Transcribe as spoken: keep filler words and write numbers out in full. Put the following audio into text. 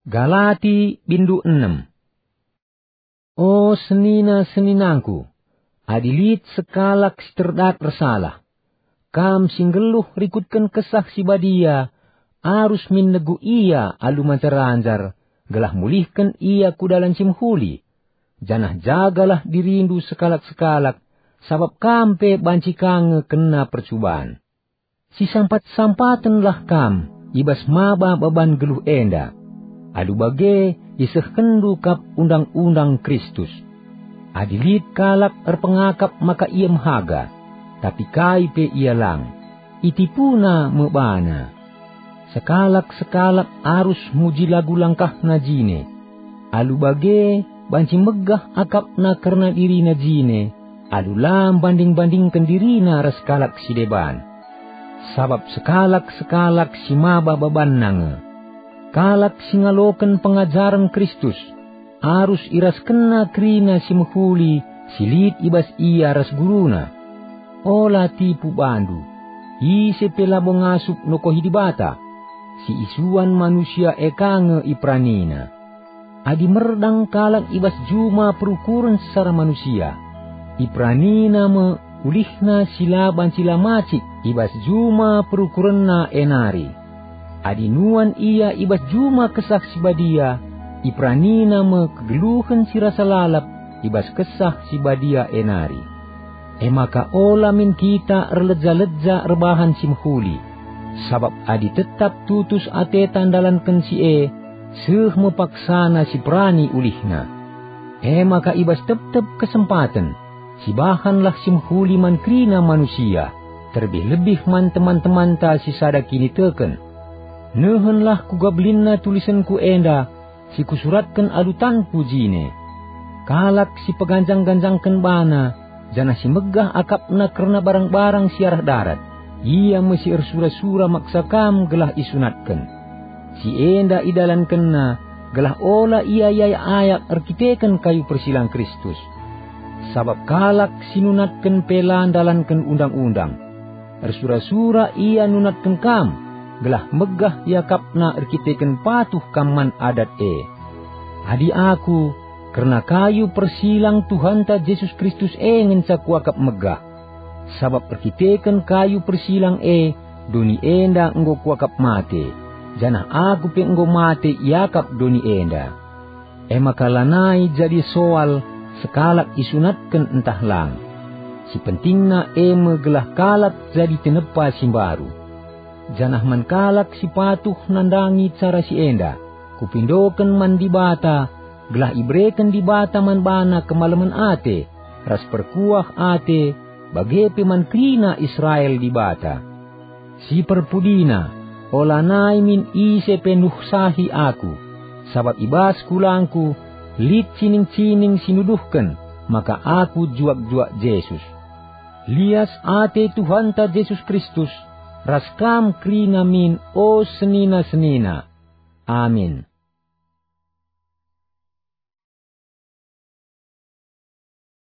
Galati bindu enem. O senina-seninangku, adi lit sekalak si terdat ersalah, kam si nggeluh rikutken Kesah Si Badia, arus min negu ia alu manjar-anjar, gelah mulihken ia ku dalan si mehuli. Janah jagalah dirindu sekalak-sekalak, sabap kam pe banci ka nge kena percuban. Sisampat-sampatenlah kam i bas maba baban geluh enda. Alu bage isehkenndu kap undang-undang Kristus. Adi lit kalak erpengakap maka ia mehaga, tapi kai pe ia lang, itipuna me bana. Sekalak-sekalak arus muji lagu langkahna jine. Alu bage banci megah akapna kerna dirina jine, alu la mbanding-bandingken dirina ras kalak si deban. Sabap sekalak-sekalak si maba babanna nge. Kalak si ngaloken pengajaren Kristus, arus iraskenna kerina si mehuli si lit i bas ia ras guruna. Ola tipu bandu. Ise pe labo ngasup nokohi Dibata. Si isuan manusia e ka nge iperanina. Adi merdang kalak i bas juma perukuren secara manusia, iperanina me ulihna si la banci la macik i bas juma perukurenna e nari. Adi nuan ia i bas juma Kesah Si Badia, iperanina me kegeluhen si rasa lalap i bas Kesah Si Badia e nari. E maka ola min kita erleja-leja erbahan si mehuli, sabap adi tetap tutus ateta ndalanken si e, seh me paksana si perani ulihna. E maka i bas tep-tep kesempaten, sibahanlah si mehuli man kerina manusia, terlebih-lebih man teman-temanta si sada kiniteken. Nehenlah kuga belinna tulisenku enda, si kusuratken alu tanku jine. Kalak si peganjang-ganjangken bana, janah si megah akapna kerna barang-barang si arah darat, ia me si ersura-sura maksa kam gelah isunatken. Si enda idalankenna gelah ola ia iayak-ayak erkiteken kayu persilang Kristus. Sabap kalak si nunatken pe la ndalanken undang-undang. Ersura-sura ia nunatken kam, gelah megah iakapna erkiteken patuh kam man adat e. Adi aku, kerna kayu persilang Tuhanta Jesus Kristus e ngenca kuakap megah. Sabap erkiteken kayu persilang e, doni enda enggo kuakap mate, janah aku pe enggo mate iakap doni enda. E maka lanai jadi soal sekalak isunatken ntah lang. Si pentingna e me gelah kalak jadi tinepa si mbaru. Janah man kalak si patuh nandangi cara si enda, kupindoken man Dibata, gelah ibereken Dibata man bana kemalemen ate ras perkuah ate, bage pe man kerina Israel Dibata. Si perpudina, olanai min ise pe nuhsahi aku, sabap i bas kulangku lit cining-cining si nuduhken maka aku juak-juak Jesus. Lias ate Tuhanta Jesus Kristus ras kam kerina min, o senina-senina. Amin.